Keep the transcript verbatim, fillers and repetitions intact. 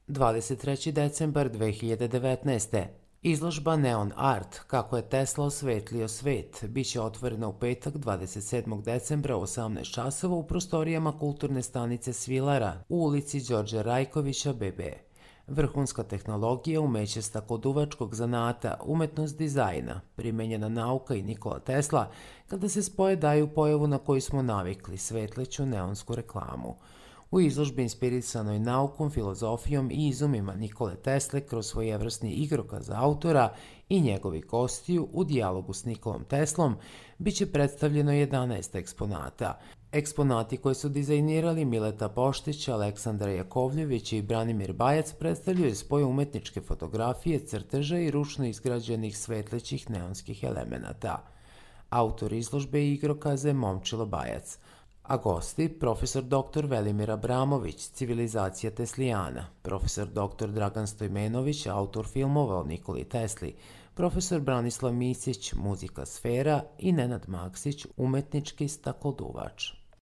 dvadeset treći decembar dve hiljade devetnaeste. Izložba Neon Art, kako je Tesla osvetlio svet, biće otvorena u petak dvadeset sedmog decembra u osamnaest časova u prostorijama kulturne stanice Svilara u ulici Đorđa Rajkovića be be. Vrhunska tehnologija, umeće stakoduvačkog zanata, umetnost dizajna, primenjena nauka i Nikola Tesla, kada se spoje daju pojavu na koju smo navikli, svetleću neonsku reklamu. U izložbi inspirisanoj naukom, filozofijom i izumima Nikole Tesle kroz svojevrsni igrokaz autora i njegovi gostiju u dijalogu s Nikolom Teslom biće predstavljeno jedanaest eksponata. Eksponati koje su dizajnirali Mileta Poštić, Aleksandar Jakovljević i Branimir Bajac predstavljaju spoj umetničke fotografije, crteža i ručno izgrađenih svetlećih neonskih elemenata. Autor izložbe i igrokaze Momčilo Bajac, a gosti profesor doktor Velimir Abramović, Civilizacija Teslijana, profesor doktor Dragan Stojmenović, autor filmova o Nikoli Tesli, profesor Branislav Misić, muzika sfera i Nenad Maksić, umetnički stakoduvač.